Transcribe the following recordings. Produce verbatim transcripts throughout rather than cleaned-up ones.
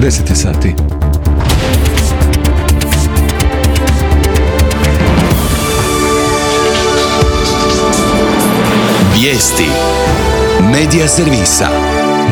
deset je sati. Vijesti Medija servisa.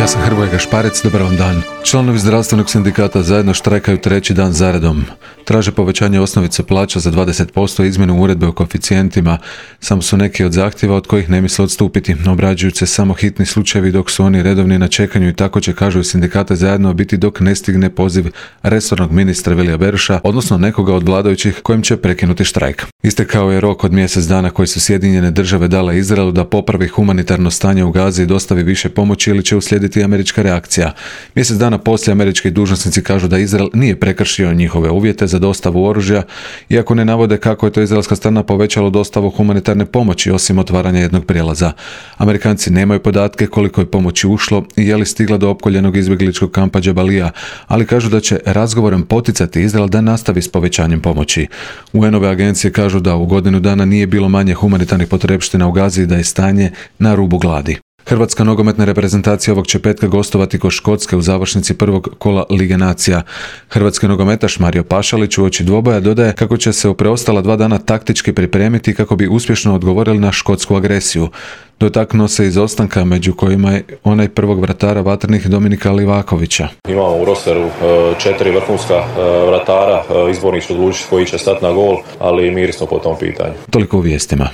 Ja sam Hrvoje Gašparec, dobar vam dan. Članovi zdravstvenog sindikata zajedno štrajkaju treći dan zaredom. Traže povećanje osnovice plaća za dvadeset posto i izmjenu uredbe o koeficijentima. Samo su neki od zahtjeva od kojih ne misle odstupiti. Obrađuju se samo hitni slučajevi dok su oni redovni na čekanju i tako će, kažu sindikate, zajedno biti dok ne stigne poziv resornog ministra Vilija Beroša, odnosno nekoga od vladajućih kojim će prekinuti štrajk. Istekao je rok od mjesec dana koji su Sjedinjene države dale Izraelu da popravi humanitarno stanje u Gazi i dostavi više pomoći ili će uslijediti američka reakcija. Mjesec dana poslije američki dužnosnici kažu da Izrael nije prekršio njihove uvjete za dostavu oružja, iako ne navode kako je to izraelska strana povećalo dostavu humanitarne pomoći osim otvaranja jednog prijelaza. Amerikanci nemaju podatke koliko je pomoći ušlo i je li stigla do opkoljenog izbjegličkog kampa Džabalija, ali kažu da će razgovorom poticati Izrael da nastavi s povećanjem pomoći. U en-ove agencije kažu da u godinu dana nije bilo manje humanitarnih potrepština u Gazi i da je stanje na rubu gladi. Hrvatska nogometna reprezentacija ovog će petka gostovati kod Škotske u završnici prvog kola Lige nacija. Hrvatski nogometaš Mario Pašalić uoči dvoboja dodaje kako će se u preostala dva dana taktički pripremiti kako bi uspješno odgovorili na škotsku agresiju. Dotaknuo se izostanka među kojima je onaj prvog vratara Vatrenih Dominika Livakovića. Imamo u rosteru četiri vrhunska vratara, izbornik će odlučiti koji će stati na gol, ali miri smo po tom pitanju. Toliko u vijestima.